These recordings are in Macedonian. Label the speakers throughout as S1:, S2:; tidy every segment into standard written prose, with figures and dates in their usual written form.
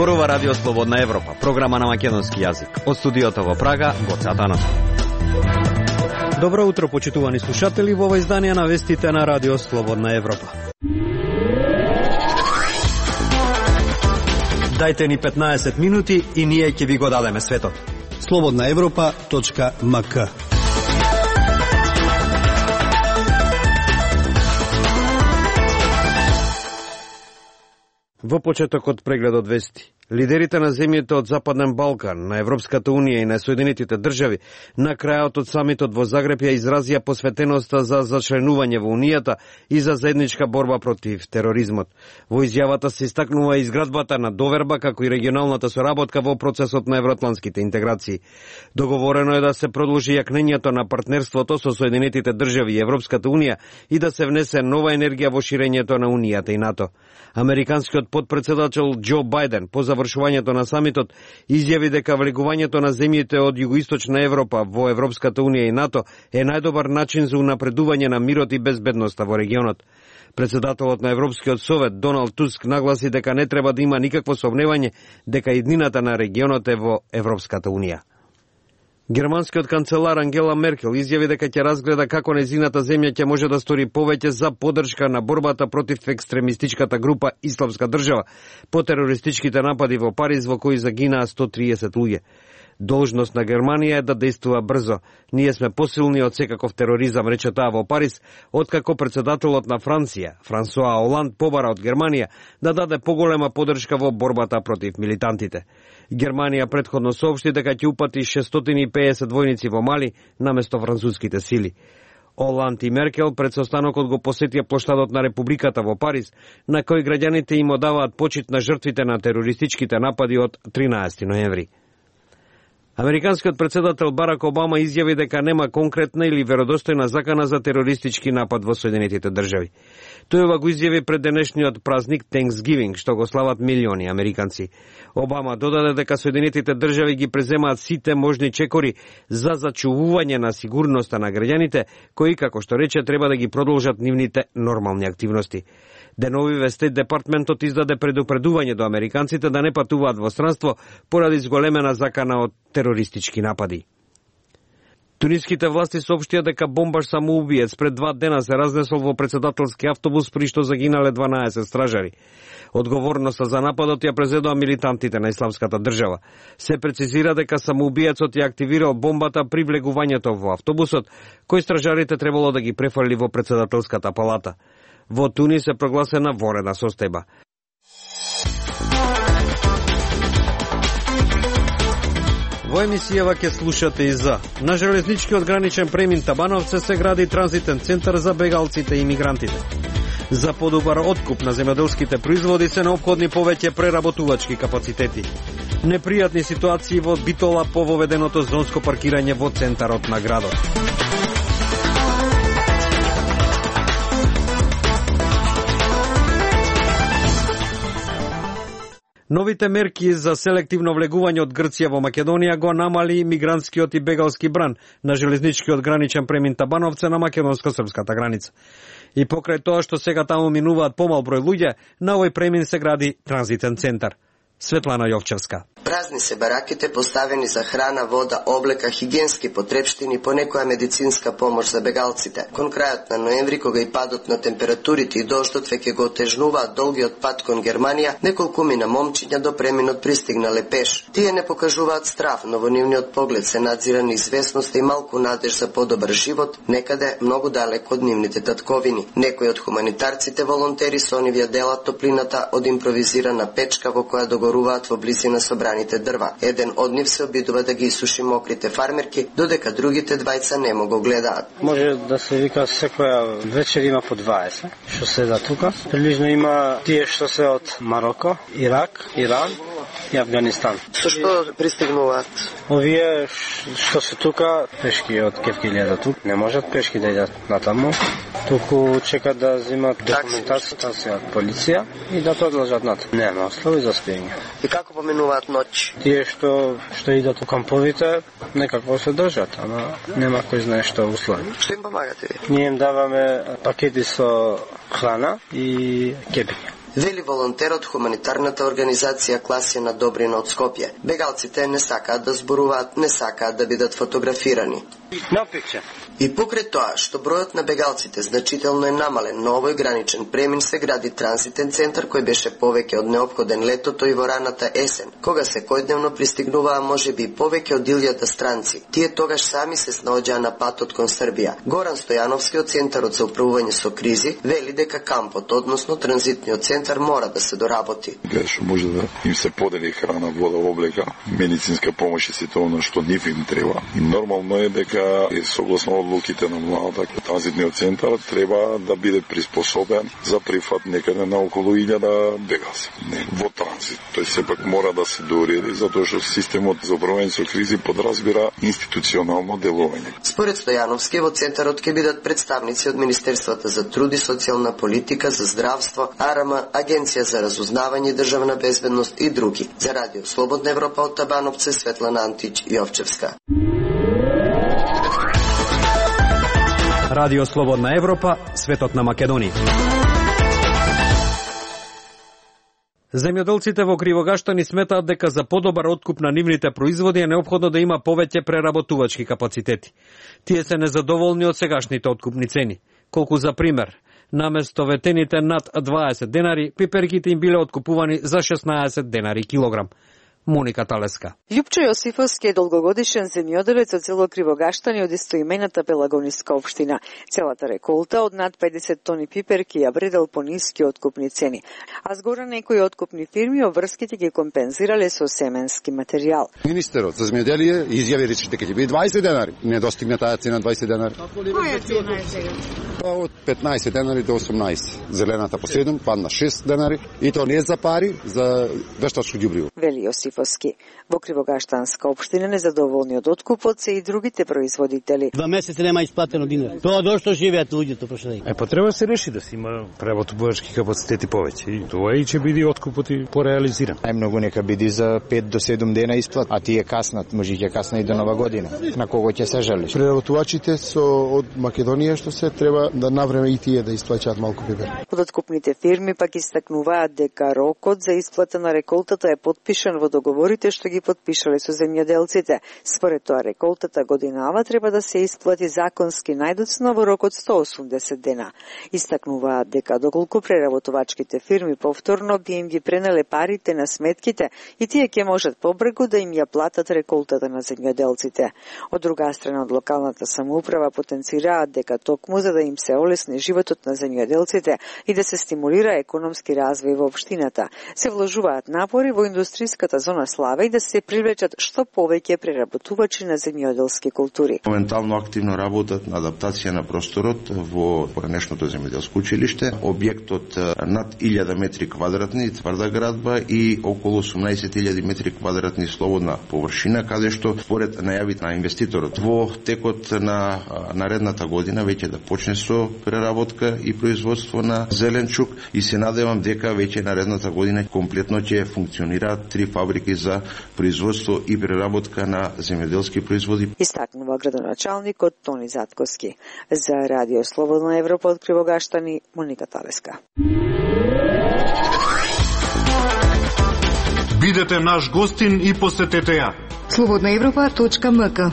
S1: зборува Радио Слободна Европа, програма на македонски јазик. Од студиото во Прага, Гоце Атанасов. Добро утро, почитувани слушатели, во ова издание на вестите на Радио Слободна Европа. Дајте ни 15 минути и ние ќе ви го дадеме светот.
S2: slobodnaevropa.mk.
S3: Во почетокот прегледот вести. Лидерите на земјите од Западен Балкан, на Европската Унија и на Соединетите држави на крајот од самитот во Загреб ја изразија посветеноста за зачленување во Унијата и за заедничка борба против тероризмот. Во изјавата се истакнува изградбата на доверба како и регионалната соработка во процесот на евроатлантските интеграции. Договорено е да се продолжи јакнењето на партнерството со Соединетите држави и Европската Унија и да се внесе нова енергија во ширењето на Унијата и НАТО. Американскиот подпредседател Џо Бајден по завршувањето на самитот изјави дека влегувањето на земјите од југоисточна Европа во Европската Унија и НАТО е најдобар начин за унапредување на мирот и безбедноста во регионот. Председателот на Европскиот совет Доналд Туск нагласи дека не треба да има никакво сомневање дека иднината на регионот е во Европската Унија. Германскиот канцелар Ангела Меркел изјави дека ќе разгледа како незината земја ќе може да стори повеќе за поддршка на борбата против екстремистичката група Исламска држава по терористичките напади во Париз во кои загинаа 130 луѓе. Должност на Германија е да действува брзо. Ние сме посилни од секаков тероризам, рече таа во Париз, откако председателот на Франција, Франсуа Оланд, побара од Германија да даде поголема поддршка во борбата против милитантите. Германија претходно соопшти дека ќе упати 650 војници во Мали наместо француските сили. Оланд и Меркел пред состанокот го посетија плоштадот на Републиката во Париз, на кој граѓаните им одаваат почит на жртвите на терористичките напади од 13 ноември. Американскиот председател Барак Обама изјави дека нема конкретна или веродостојна закана за терористички напад во Соединетите држави. Тој ова го изјави пред денешниот празник Thanksgiving, што го слават милиони американци. Обама додаде дека Соединетите држави ги преземаат сите можни чекори за зачувување на сигурноста на граѓаните, кои, како што рече, треба да ги продолжат нивните нормални активности. Деновиве Стейт Департментот издаде предупредување до американците да не патуваат во странство поради зголемена закана од терористички напади. Туниските власти соопштија дека бомбаш самоубиец пред 2 дена се разнесол во председателски автобус при што загинале 12 стражари. Одговорноста за нападот ја презедоа милитантите на Исламската држава. Се прецизира дека самоубиецот ја активирал бомбата при влегувањето во автобусот, кој стражарите требало да ги префрли во председателската палата. Во Тунис е прогласена вонредна состојба. Во емисијава ќе слушате и за на железничкиот граничен премин Табановце се гради транзитен центар за бегалците и мигрантите. За подобар откуп на земјоделските производи се неопходни повеќе преработувачки капацитети. Непријатни ситуации во Битола по воведеното зонско паркирање во центарот на градот. Новите мерки за селективно влегување од Грција во Македонија го намали мигрантскиот и бегалски бран на железничкиот граничен премин Табановце на македонско-српската граница. И покрај тоа што сега таму минуваат помал број луѓе, на овој премин се гради транзитен центар. Светлана Јовчевска.
S4: Празни се бараките поставени за храна, вода, облека, хигиенски потрепштини, понекоја медицинска помош за бегалците. Кон крајот на ноември, кога и падот на температурите и дождот веќе го отежнуваат долгиот пат кон Германија, неколкумина момчиња до преминот пристигнале пеш. Тие не покажуваат страв, но во нивниот поглед се надзира неизвестност и малку надеж за подобар живот, некаде многу далеко од нивните татковини. Некои од хуманитарците волонтери со онивија делат топлината од импровизирана печка во која догоруваат во близина собраните дрва. Еден од нив се обидува да ги исуши мокрите фармерки, додека другите двајца немо го гледаат.
S5: Може да се вика секоја вечер има по 20 што седат тука. Прилично има тие што се од Мароко, Ирак, Иран и Афганистан.
S4: Со што пристигнуваат?
S5: Овие што се тука, пешки од Кефкилија до тук, не можат пешки да идат натаму. Туку чекат да земат документација од полиција и да продолжат нат. Нема услови за спиење.
S4: И како поминуваат ноќ?
S5: Тие што идат у камповите, некако се држат, ама нема кој знае што услови.
S4: Што им помагате ви?
S5: Ние им даваме пакети со храна и кепиња.
S4: Вели волонтер од хуманитарната организација Класина Добрина од Скопје. Бегалците не сакаат да зборуваат, не сакаат да бидат фотографирани. И покрај тоа што бројот на бегалците значително е намален, на овој граничен премин се гради транзитен центар кој беше повеќе од неопходен летото и во раната есен, кога секојдневно пристигнуваа можеби повеќе од 1000 странци. Тие тогаш сами се снаоѓаа на патот кон Србија. Горан Стојановски од Центарот за управување со кризи вели дека кампот, односно транзитниот центар, мора да се доработи.
S2: Што може да им се подели храна, вода, облека, медицинска помош и сето она што нив им треба. И нормално е дека согласно одлуките на владата, транзитниот центар треба да биде приспособен за прифат некаде на околу 1000 бегалци. Во транзит. Тој сепак мора да се дореди, затоа што системот за управување со кризи подразбира институционално делување.
S4: Според Стојановски, во центарот ќе бидат представници од Министерствата за труд и социјална политика, за здравство, АРМ, Агенција за разузнавање и државна безбедност и други. За Радио Слободна Европа од Табановце, Светлана Антич, Јовчевска.
S1: Радио Слободна Европа, светот на Македонија. Земјоделците во Кривогаштани сметаат дека за подобар откуп на нивните производи е неопходно да има повеќе преработувачки капацитети. Тие се незадоволни од сегашните откупни цени. Колку за пример, наместо ветените над 20 денари, пиперките им биле откупувани за 16 денари килограм. Моника Талеска.
S6: Љупчо Јосифовски е долгогодишен земјоделец од село Кривогаштани од истоимената Пелагониска општина. Целата реколта од над 50 тони пиперки ја вредел по ниски откупни цени, а згора некои откупни фирми обврските ги компензирале со семенски материјал.
S7: Министерот за земјоделие изјави рече дека ќе биде 20 денари. Не достигна таа цена 20 денари.
S6: Која цена е сега?
S7: Од 15 денари до 18. Зелената по 7, падна 6 денари и тоа не е за пари, за вештачко ѓубриво.
S6: Вели Јосифовски. Во Кривогаштанска општина незадоволни од откупот се и другите производители.
S8: 2 месеци нема исплатено динар. Тоа дошто живеат луѓето прошли.
S9: Па треба да се реши да се има преработувачки капацитети повеќе и тоа и ќе биде откупот и пореализиран.
S10: Најмногу нека биде за 5 до 7 дена исплат, а тие каснат, може ќе касна и до нова година. На кого ќе се жалиш?
S11: Преработувачите од Македонија што се треба да навреме и тие да исплаќаат малку пипер.
S6: Од откупните фирми пак истакнуваат дека рокот за исплата на реколтата е потпишан во договорите што ги потпишале со земјоделците. Според тоа реколтата годинава треба да се исплати законски најдоцна во рок од 180 дена. Истакнуваат дека доколку преработувачките фирми повторно би им ги пренеле парите на сметките и тие ќе можат побрзо да им ја платат реколтата на земјоделците. Од друга страна, од локалната самоуправа потенцираат дека токму за да им се олесни животот на земјоделците и да се стимулира економски развој во општината, се вложуваат напори во индустријската зона Славе и да се привлечат што повеќе преработувачи на земјоделски култури.
S12: Моментално активно работат на адаптација на просторот во поранешното земјоделско училиште, објектот над 1000 метри квадратни тврда градба и околу 18.000 метри квадратни слободна површина, каде што според најавите на инвеститорот во текот на наредната година веќе да почне со преработка и производство на зеленчук и се надевам дека веќе наредната година комплетно ќе функционираат 3 фабрики за производство и преработка на земјоделски производи.
S6: Истакнува градоначалникот Тони Затковски. За Радио Слободна Европа од Кривогаштани, Моника Талеска.
S13: Бидете наш гостин и посетете ја.
S14: slobodnaevropa.mk.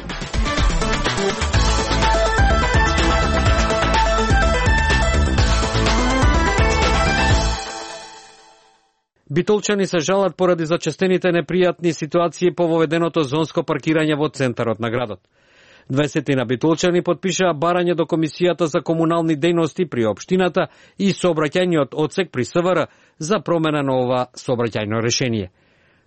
S1: Битолчани се жалат поради зачестените непријатни ситуации по воведеното зонско паркирање во центарот на градот. 20 битолчани потпишаа барање до Комисијата за комунални дејности при општината и сообраќајниот одсек при СВР за промена на ова сообраќајно решение.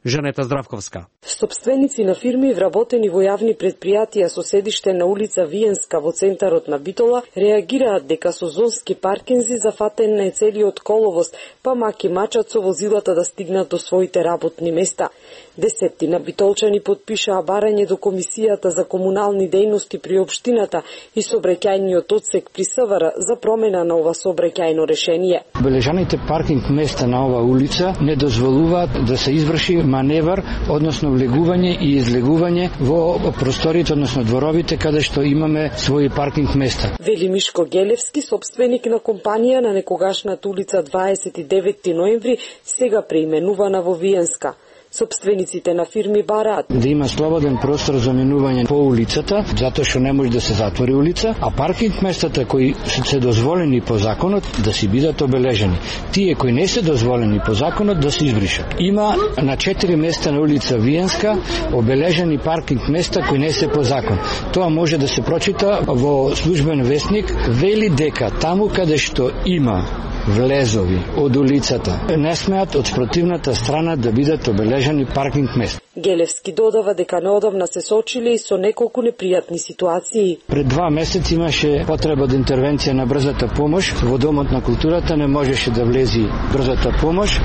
S1: Жанета Здравковска.
S15: Собственици на фирми вработени во јавни предпријатија со седиште на улица Виенска во центарот на Битола реагираат дека со зонски паркинзи зафатен е целиот коловоз, па маки мачат со возилата да стигнат до своите работни места. Десеттина битолчани потпишаа барање до Комисијата за комунални дејности при општината и сообраќајниот одсек при СВР за промена на ова сообраќајно решение.
S16: Обележаните паркинг места на ова улица не дозволуваат да се изврши маневар, односно влегување и излегување во просториите, односно дворовите каде што имаме своји паркинг места.
S15: Вели Мишко Гелевски, собственик на компанија на некогашната улица 29 ноември, сега преименувана во Виенска. Собствениците на фирми бараат
S16: да има слободен простор за минување по улицата, затоа што не може да се затвори улица, а паркинг местата кои се дозволени по законот да си бидат обележени. Тие кои не се дозволени по законот да се избришат. Има на 4 места на улица Виенска обележени паркинг места кои не се по закон. Тоа може да се прочита во службен весник, вели дека таму каде што има влезови од улицата не смеат од спротивната страна да бидат обележани паркинг места.
S15: Гелевски додава дека неодамна се соочили и со неколку непријатни ситуации.
S16: Пред 2 месеци имаше потреба од интервенција на брзата помош. Во Домот на културата не можеше да влези брзата помош,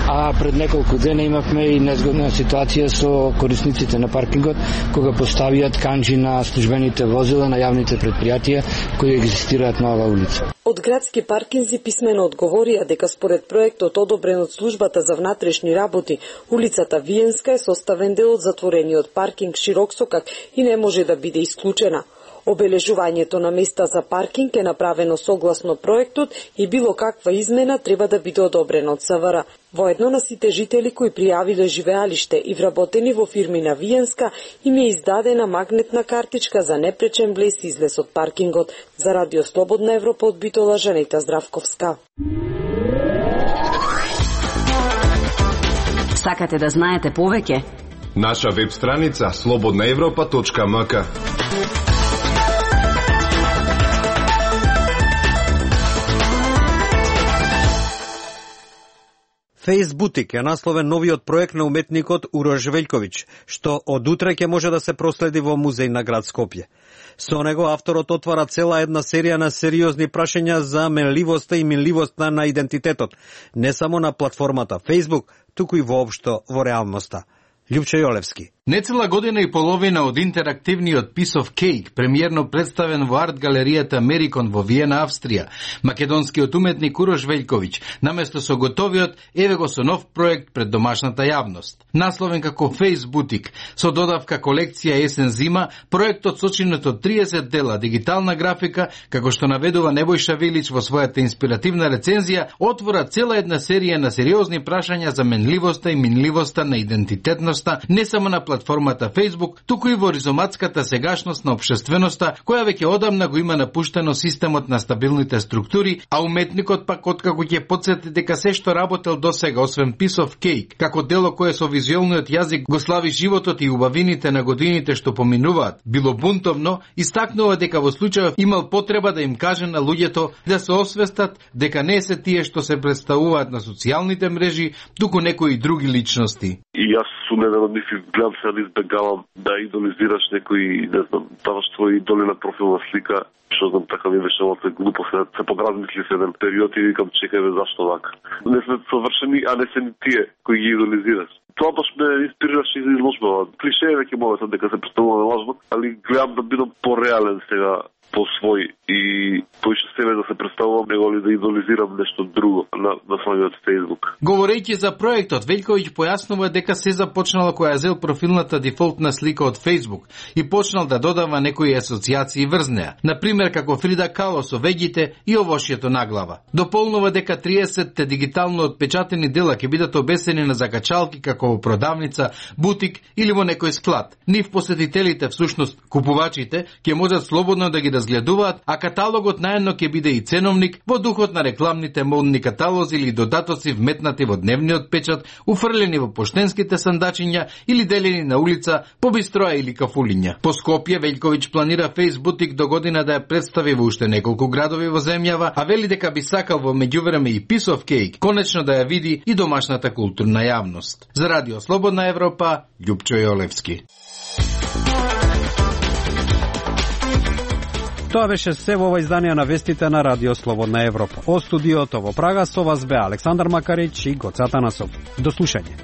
S16: а пред неколку дена имавме и незгодна ситуација со корисниците на паркингот, кога поставиат канџи на службените возила на јавните предпријатија кои екзистираат на оваа улица.
S15: Од градски паркинзи писмено одговорија дека според проектот одобрен од службата за внатрешни работи, улицата Виенска е составен дел од затворениот паркинг Широк сокак и не може да биде исклучена. Обележувањето на места за паркинг е направено согласно проектот и било каква измена треба да биде одобрена од СВР. Воедно на сите жители кои пријавиле живеалиште и вработени во фирми на Виенска им е издадена магнетна картичка за непречен влез и излез од паркингот. За Радио Слободна Европа од Битола, Жанета Здравковска.
S17: Сакате да знаете повеќе?
S18: Наша веб страница slobodnaevropa.mk.
S1: Фейсбутик е насловен новиот проект на уметникот Урош Велјковиќ, што од утре ќе може да се проследи во музеј на град Скопје. Со него авторот отвара цела една серија на сериозни прашања за менливоста и минливоста на идентитетот, не само на платформата Facebook, туку и воопшто во реалноста. Љупчо Јолевски.
S19: Нецела година и половина од интерактивниот Piece of Cake, премиерно представен во арт галеријата Мерикон во Виена, Австрија, македонскиот уметник Урош Велјковиќ, наместо со готовиот, еве го со нов проект пред домашната јавност. Насловен како Фейсбутик, со додавка колекција есен-зима, проектот сочинет од 30 дела дигитална графика, како што наведува Небојша Вилич во својата инспиративна рецензија, отвора цела една серија на сериозни прашања за менливоста и минливоста на идентитетноста, не само на платформата Facebook, туку и во ризоматската сегашност на општественоста, која веќе одамна го има напуштено системот на стабилните структури, а уметникот пак откако ќе потсети дека се што работел досега, освен Piece of Cake, како дело кое со визуелниот јазик го слави животот и убавините на годините што поминуваат, било бунтовно, истакнува дека во случајов имал потреба да им каже на луѓето да се освестат дека не се тие што се представуваат на социјалните мрежи, туку некои други личности.
S20: И јас сумнено мислам, гледам се да избегавам да идолизираш некои, не знам, даваш твои идоли на профилна слика, што знам, така ми беше малце глупо, се подразмисли се еден период и викам, чекај бе, зашто вака? Не сме совршени, а не се ни тие кои ги идолизираш. Тоа баш ме инспирираше и за изложба. Клише е веќе моментот дека се представуваме лажно, али гледам да бидам пореален сега, по свој и поише себе да се представувам, него ли да идолизирам нешто друго на самиот Facebook.
S19: Говорејќи за проектот, Велјковиќ појаснува дека се започнало кога ја зел профилната дефолтна слика од Facebook и почнал да додава некои асоциации врз неа. Например, како Фрида Кало со веѓите и овошјето наглава. Дополнува дека 30-те дигитално отпечатени дела ќе бидат обесени на закачалки како во продавница, бутик или во некој склад. Нив посетителите, всушност купувачите, ќе можат слободно да ги разгледуваат, а каталогот наедно ќе биде и ценовник во духот на рекламните модни каталози или додатоци вметнати во дневниот печат, уфрлени во поштенските сандачиња или делени на улица по бистроа или кафулиња. По Скопје Велјковиќ планира Фейсбутик до година да ја представи во уште неколку градови во земјава, а вели дека би сакал во меѓувреме и Piece of Cake конечно да ја види и домашната културна јавност. За Радио Слободна Европа, Љупчо Јолевски.
S1: Тоа беше се во ова издание на вестите на Радио Слободна Европа. Од студиото во Прага со вас бе Александар Макарич и Гоце Атанасов. До слушање.